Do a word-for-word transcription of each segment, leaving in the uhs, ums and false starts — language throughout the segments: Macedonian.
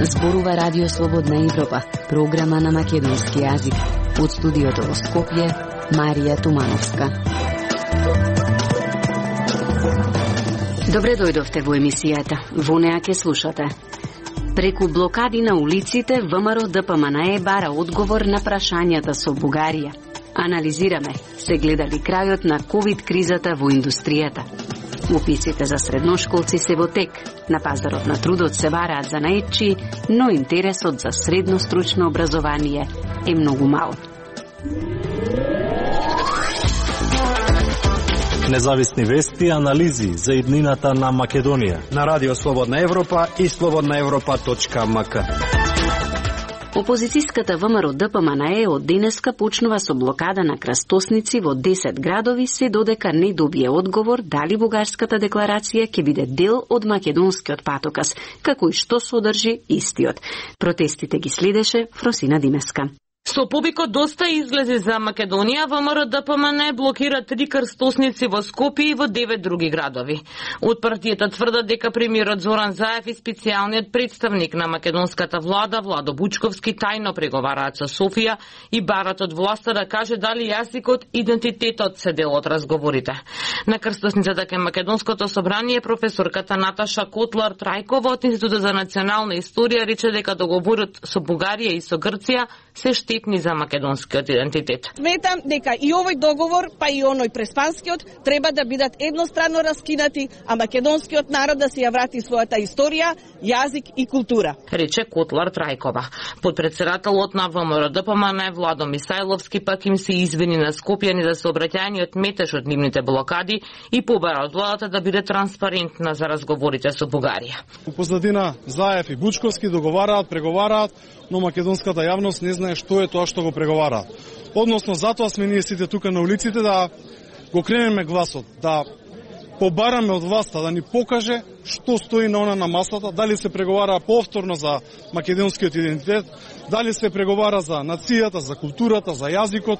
Зборува Радио Слободна Европа, програма на македонски јазик. Од студиото во Скопје, Марија Тумановска. Добре дојдовте во емисијата. Во неа ќе слушате. Преку блокади на улиците, ВМРО Д П М Н Е бара одговор на прашањата со Бугарија. Анализираме, се гледали крајот на ковид кризата во индустријата. Уписите за средношколци се во тек. На пазарот на трудот се бараат занаетчи, но интересот за средно стручно образование е многу мал. Независни вести и анализи за иднината на Македонија на Радио Слободна Европа и слободна европа точка м к. Опозицијската ВМРО Д П М Н Е од денеска почнува со блокада на крстосници во десет градови, се додека не добие одговор дали бугарската декларација ќе биде дел од македонскиот патокас, како и што содржи истиот. Протестите ги следеше Фросина Димеска. Со повикот доста излези за Македонија, ВМРО Д П М Н Е блокира три крстосници во Скопје и во девет други градови. Од партијата тврдат дека премиерот Зоран Заев и специјалниот представник на македонската влада Владо Бучковски тајно преговараат со Софија и барат од власта да каже дали јазикот и идентитетот се дел од разговорите. На крстосницата кај Македонското собрание професорката Наташа Котлар Трајкова од Институтот за национална историја рече дека договорот со Бугарија и со Грција се штетни за македонскиот идентитет. Сметам дека и овој договор, па и оној преспанскиот, треба да бидат едностранно раскинати, а македонскиот народ да се ја врати својата историја, јазик и култура. Рече Котлар Трајкова. Подпредседателот на ВМРО Д П М Н Е Владо Мисајловски пак им се извини на скопјани за сообраќајниот метеж од нивните блокади и побара од владата да биде транспарентна за разговорите со Бугарија. У позадина Заев и Бучковски договараат, преговараат, но македонската јавност не знае што е тоа што го преговараат. Односно, затоа сме ние сите тука на улиците да го кренеме гласот, да побараме од власта да ни покаже што стои на она на масата, дали се преговара повторно за македонскиот идентитет, дали се преговара за нацијата, за културата, за јазикот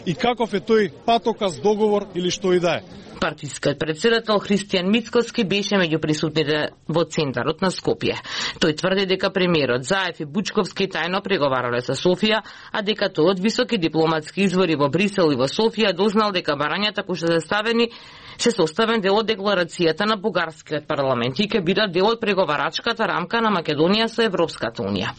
и каков е тој патокас, договор или што и да е. Партискиот председател Христијан Мицкоски беше меѓу присутните во центарот на Скопје. Тој тврди дека премиерот Заев и Бучковски тајно преговарале со Софија, а дека тој од високи дипломатски извори во Брисел и во Софија дознал дека барањата кои се заставени се составен дел од декларацијата на бугарскиот парламент и ќе бидат дел од преговарачката рамка на Македонија со Европската унија.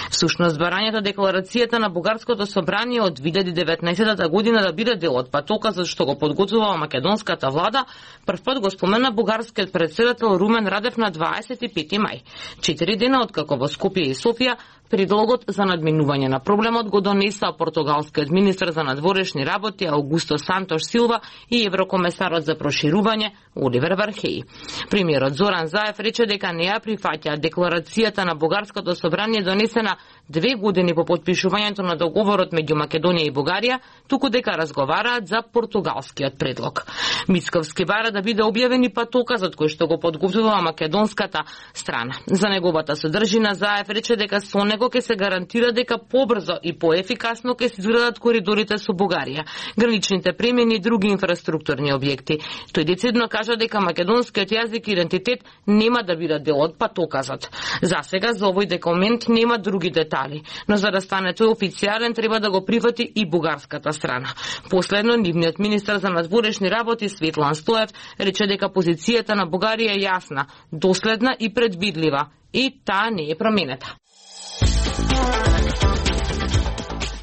Всушност барањата декларацијата на бугарското собрание од две илјади и деветнаесетта година да биде дел од патокасот што го подготвува македонската влада, првпат го спомена бугарскиот председател Румен Радев на дваесет и пети мај. Четири дена откако во Скопје и Софија предлогот за надминување на проблемот го донесла португалскиот министер за надворешни работи Аугусто Сантош Силва и еврокомесарот за проширување Оливер Вархеј. Премиерот Зоран Заев рече дека не ја прифаќа декларацијата на бугарското собрание донесена две години по потпишувањето на договорот меѓу Македонија и Бугарија, туку дека разговараат за португалскиот предлог. Мицковски бара да биде објавен и патокасот кој што го подготвува македонската страна. За неговата содржина Заев рече дека со него ќе се гарантира дека побрзо и поефикасно ќе се изградат коридорите со Бугарија, граничните премини и други инфраструктурни објекти. Тој децидно кажа дека македонскиот јазик и идентитет нема да бидат дел од патокасот. За сега за овој документ нема други детали, но за да стане тој официјален треба да го прифати и бугарската страна. Последно, нивниот министер за надворешни работи Светлан Стоев рече дека позицијата на Бугарија е јасна, доследна и предвидлива и таа не е променета.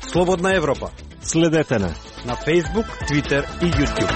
Слободна Европа. Следете на на Facebook, Twitter и YouTube.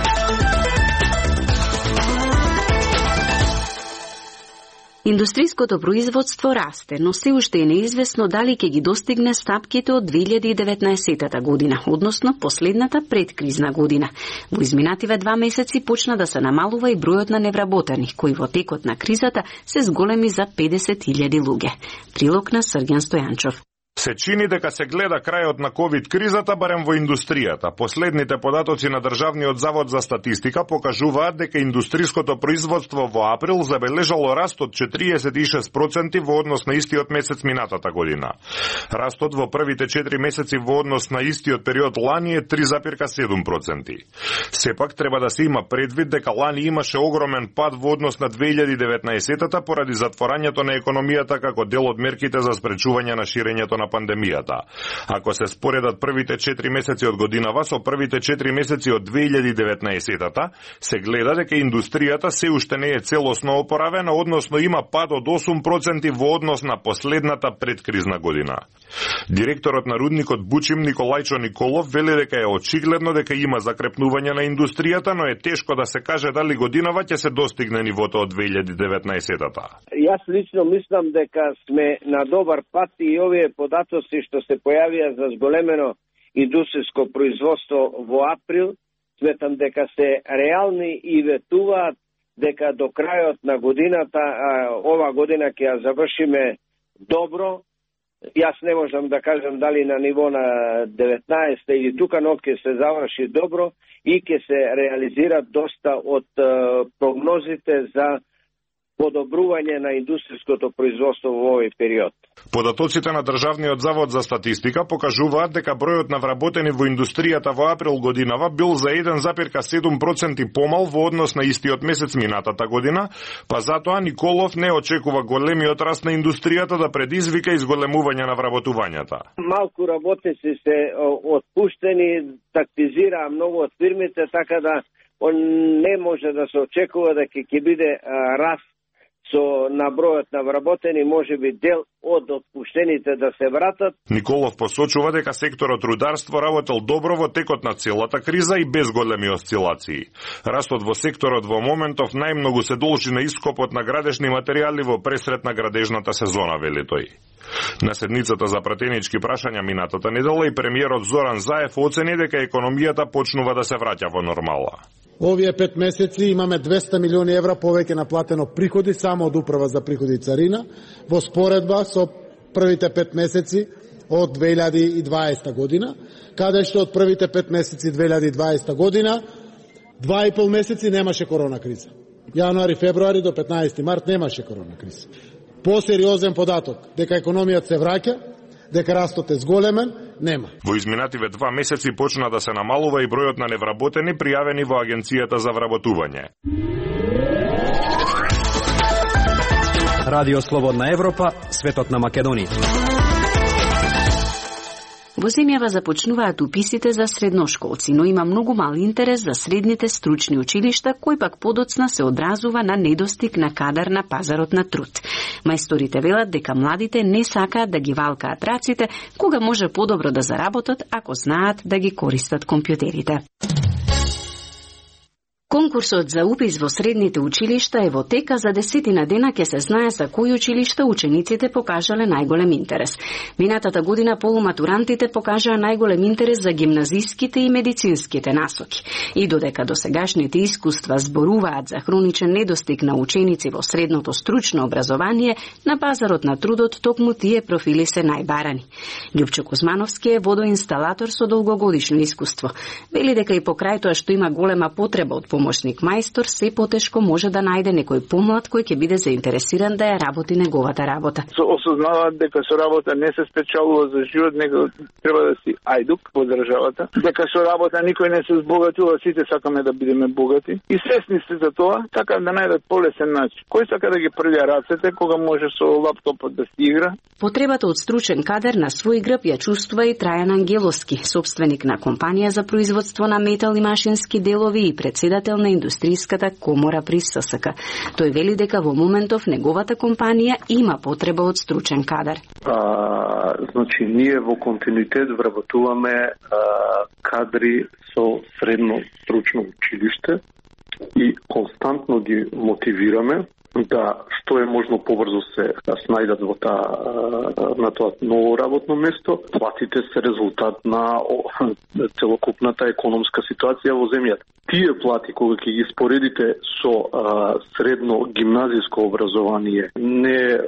Индустријското производство расте, но се уште е неизвестно дали ќе ги достигне стапките од две илјади и деветнаесетта година, односно последната предкризна година. Во изминативе два месеци почна да се намалува и бројот на невработени, кои во текот на кризата се зголеми за педесет илјади луѓе. Прилог на Срѓан Стојанчов. Се чини дека се гледа крајот на ковид кризата барем во индустријата. Последните податоци на Државниот завод за статистика покажуваат дека индустриското производство во април забележало раст од четириесет и шест проценти во однос на истиот месец минатата година. Растот во првите четири месеци во однос на истиот период лани е три зарез седум проценти. Сепак треба да се има предвид дека лани имаше огромен пад во однос на две илјади и деветнаесетта поради затворањето на економијата како дел од мерките за спречување на ширењето на пандемијата. Ако се споредат првите четири месеци од годинава со првите четири месеци од две илјади и деветнаесетта, се гледа дека индустријата се уште не е целосно опоравена, односно има пад од осум проценти во однос на последната предкризна година. Директорот на рудникот Бучим Николајчо Николов вели дека е очигледно дека има закрепнување на индустријата, но е тешко да се каже дали годинава ќе се достигне нивото од две илјади и деветнаесетта. Јас лично мислам дека сме на добар пат и овие податоци што се појавија за зголемено индустријско производство во април, сметам дека се реални и ветуваат дека до крајот на годината, ова година ќе ја завршиме добро. Јас не можам да кажам дали на ниво на деветнаесетта или тука, но ќе се заврши добро и ќе се реализират доста од прогнозите за подобрување на индустријското производство во овој период. Податоците на Државниот завод за статистика покажуваат дека бројот на вработени во индустријата во април годинава бил за еден зарез седум проценти помал во однос на истиот месец минатата година, па затоа Николов не очекува големиот раст на индустријата да предизвика изголемување на вработувањата. Малку работници се отпуштени, тактизираа многу од фирмите, така да не може да се очекува дека ќе биде раст со на бројот на вработени, може би дел од отпуштените да се вратат. Николов посочува дека секторот рударство работел добро во текот на целата криза и без големи осцилации. Растот во секторот во моментов најмногу се должи на ископот на градежни материјали во пресрет на градежната сезона, вели тој. На седницата за пратенички прашања минатата недела и премиерот Зоран Заев оцени дека економијата почнува да се враќа во нормала. Овие пет месеци имаме двесте милиони евра повеќе наплатено приходи само од Управа за приходи и царина во споредба со првите пет месеци од две илјади и дваесетта година, каде што од првите пет месеци две илјади и дваесетта година два и пол месеци немаше корона криза. Јануари, февруари до петнаесети март немаше корона криза. Посериозен податок дека економијата се враќа, дека растот е зголемен, нема. Во изминативе два месеци почна да се намалува и бројот на невработени пријавени во Агенцијата за вработување. Радио Слободна Европа, светот на Македонија. Во земјава започнуваат уписите за средношколци, но има многу мал интерес за средните стручни училишта, кој пак подоцна се одразува на недостиг на кадар на пазарот на труд. Мајсторите велат дека младите не сакаат да ги валкаат раците, кога може подобро да заработат ако знаат да ги користат компјутерите. Конкурсот за упис во средните училишта е во тека, за десетина дена ќе се знае за кои училишта учениците покажале најголем интерес. Минатата година полуматурантите покажаа најголем интерес за гимназиските и медицинските насоки. И додека досегашните искуства зборуваат за хроничен недостиг на ученици во средното стручно образование, на пазарот на трудот токму тие профили се најбарани. Љупчо Кузмановски е водоинсталатор со долгогодишно искуство. Вели дека и покрај тоа што има голема потреба од помошник мајстор, се потешко може да најде некој помлад кој ќе биде заинтересиран да ја работи неговата работа. Со осознаваат дека со работа не се спечалува за живот, него треба да си ајдук во државата, дека со работа никој не се збогатува, сите сакаме да бидеме богати и свесни се за тоа, така да најдат полесен начин. Кој сака да ги прља рацете кога може со лаптопот да си игра? Потребата од стручен кадар на свој грб ја чувствува и Трајан Ангеловски, собственик на компанија за производство на метал и машински делови и председател на индустријската комора при С С К. Тој вели дека во моментов неговата компанија има потреба од стручен кадар. А, значи, ние во континуитет вработуваме а, кадри со средно стручно училиште и константно ги мотивираме да што е можно побрзо се да снајдат во таа на тоа ново работно место. Платите се резултат на целокупната економска ситуација во земјата. Тие плати, кога ќе ги споредите со а, средно гимназиско образование, не а,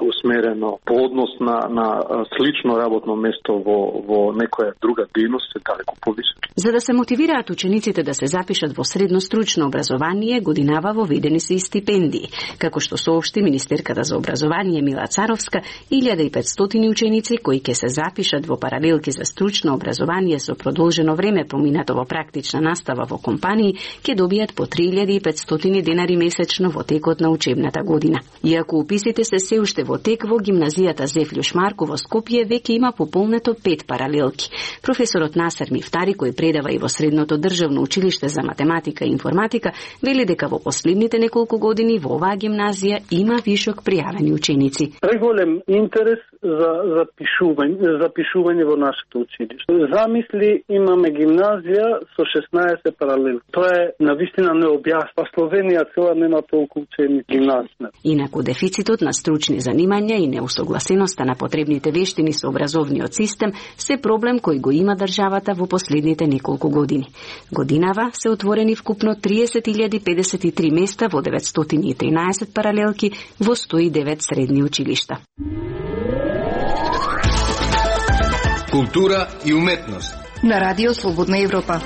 усмерено по однос на, на слично работно место во, во некоја друга дејност, е далеко повисоки. За да се мотивираат учениците да се запишат во средно стручно образование, годинава воведени се и стипендии. Како што соопшти министерката за образование Мила Царовска, илјада и петстотини ученици кои ќе се запишат во паралелки за стручно образование со продолжено време поминато во практична настава во компании, ќе добијат по три илјади и петстотини денари месечно во текот на учебната година. Иако уписите се се уште во тек, во гимназијата Зефлјуш Марко во Скопје веќе има пополнето пет паралелки. Професорот Насер Мифтари, кој предава и во Средното државно училиште за математика и информатика, вели дека во последните неколку години во оваа гимназија има вишок пријавени ученици. Преголем интерес за запишување, запишување во нашето училиште. Замисли, имаме гимназија со шеснаесет паралелки. Тоа е навистина необјаснато. Словенија цела нема толку учени гимназија. Инаку дефицитот на стручни занимања и неусогласеноста на потребните вештини со образовниот систем се проблем кој го има државата во последните неколку години. Годинава се отворени вкупно триесет илјади педесет и три места во деветстотини и тринаесет паралелки во сто и девет средни училишта. Култура и уметност на Радио Слободна Европа.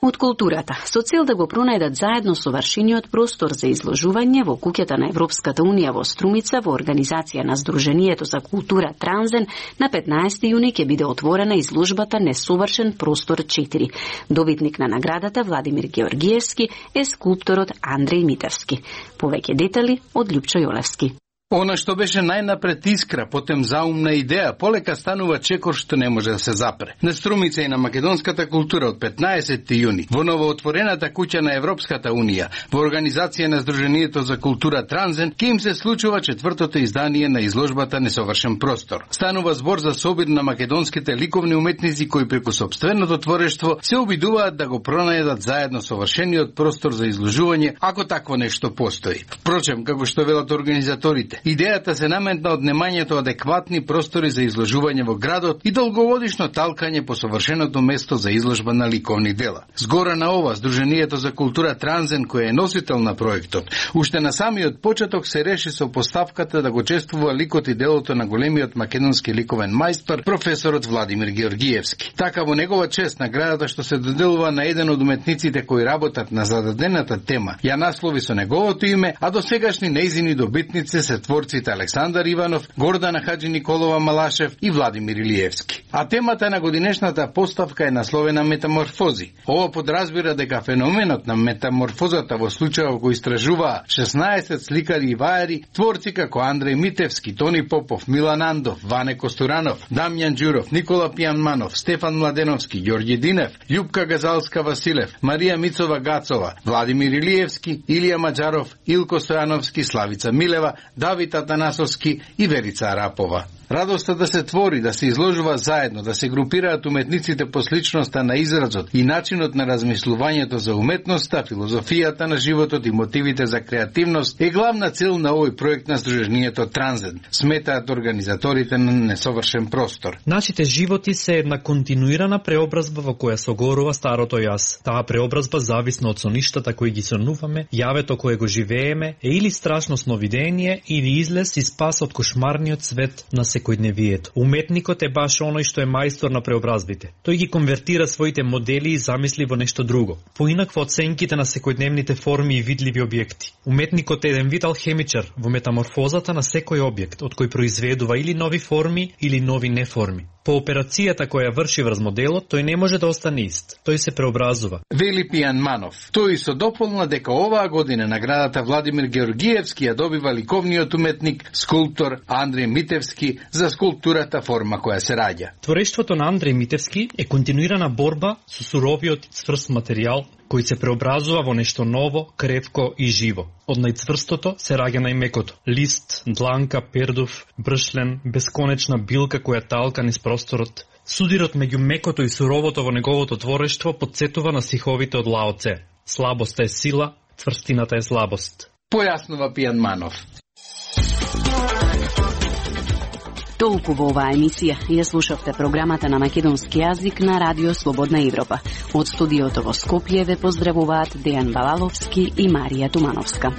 Од културата, со цел да го пронајдат заедно совршениот простор за изложување во куќата на Европската Унија во Струмица во организација на Сдруженијето за култура Транзен, на петнаесети јуни ќе биде отворена изложбата Несовршен простор четири. Добитник на наградата Владимир Георгиевски е скулпторот Андреј Митевски. Повеќе детали од Љупчо Јолевски. Она што беше најнапред искра, потем заумна идеја, полека станува чекор што не може да се запре. На Струмица и на македонската култура од петнаесети јуни, во новоотворената куќа на Европската Унија, во организација на Сдруженијето за култура Транзен, ке им се случува четвртото издание на изложбата Несовршен простор. Станува збор за собир на македонските ликовни уметници кои преку сопственото творештво се обидуваат да го пронајдат заедно совршениот простор за изложување, ако такво нешто постои. Впрочем, како што велат организаторите, идејата се наметна од немањето адекватни простори за изложување во градот и долгогодишно талкање по совршеното место за изложба на ликовни дела. Згора на ова, Сдруженијето за култура Транзен, кој е носител на проектот, уште на самиот почеток се реши со поставката да го чествува ликот и делото на големиот македонски ликовен мајстор, професорот Владимир Георгиевски. Така во негова чест наградата што се доделува на еден од уметниците кои работат на зададената тема, ја наслови со неговото име, а до сегашни нејзини добитници се творците Александар Иванов, Гордана Хаджи Николова Малашев и Владимир Илиевски. А темата на годинешната поставка е насловена Метаморфози. Ова подразбира дека феноменот на метаморфозата во случајот кој истражуваа шеснаесет сликари и вајари, творци како Андреј Митевски, Тони Попов, Милан Андов, Ване Костуранов, Дамјан Ѓуров, Никола Пијанманов, Стефан Младеновски, Ѓорѓе Динев, Љупка Газалска Василев, Марија Мицова Гацова, Владимир Илиевски, Илија Маџаров, Илко Стојановски, Славица Милева, Давид Атанасовски и Верица Арапова. Радоста да се твори, да се изложува заедно, да се групираат уметниците по сличноста на изразот и начинот на размислувањето за уметноста, филозофијата на животот и мотивите за креативност е главна цел на овој проект на Сдруженијето Транзен, сметаат организаторите на Несовршен простор. Нашите животи се една континуирана преобразба во која согорува старото јас. Таа преобразба зависна од соништата кои ги сонуваме, јавето кое го живееме, е или страшно сновидение, или излез и спас од кошмарниот свет на секојдневието. Уметникот е баш оној што е мајстор на преобразбите. Тој ги конвертира своите модели и замисли во нешто друго, поинакво од сенките на секојдневните форми и видливи објекти. Уметникот е еден вид алхемичар во метаморфозата на секој објект, од кој произведува или нови форми или нови неформи. По операцијата која врши врз моделот, тој не може да остане ист. Тој се преобразува. Вели Пијанманов. Тој со дополна дека оваа година наградата Владимир Георгиевски ја добива ликовниот уметник, скулптор Андреј Митевски за скулптурата форма која се раѓа. Творештвото на Андреј Митевски е континуирана борба со суровиот и цврст материјал кој се преобразува во нешто ново, крепко и живо. Од најцврстото се раѓа најмекото. Лист, дланка, пердув, бршлен, бесконечна билка која талка низ просторот. Судирот меѓу мекото и суровото во неговото творештво подсетува на стиховите од Лао Це. Слабоста е сила, цврстината е слабост. Појаснува Пијан Манов. Толку во оваа емисија. Ја слушавте програмата на македонски јазик на Радио Слободна Европа. Од студиото во Скопје ве поздравуваат Дејан Балаловски и Марија Тумановска.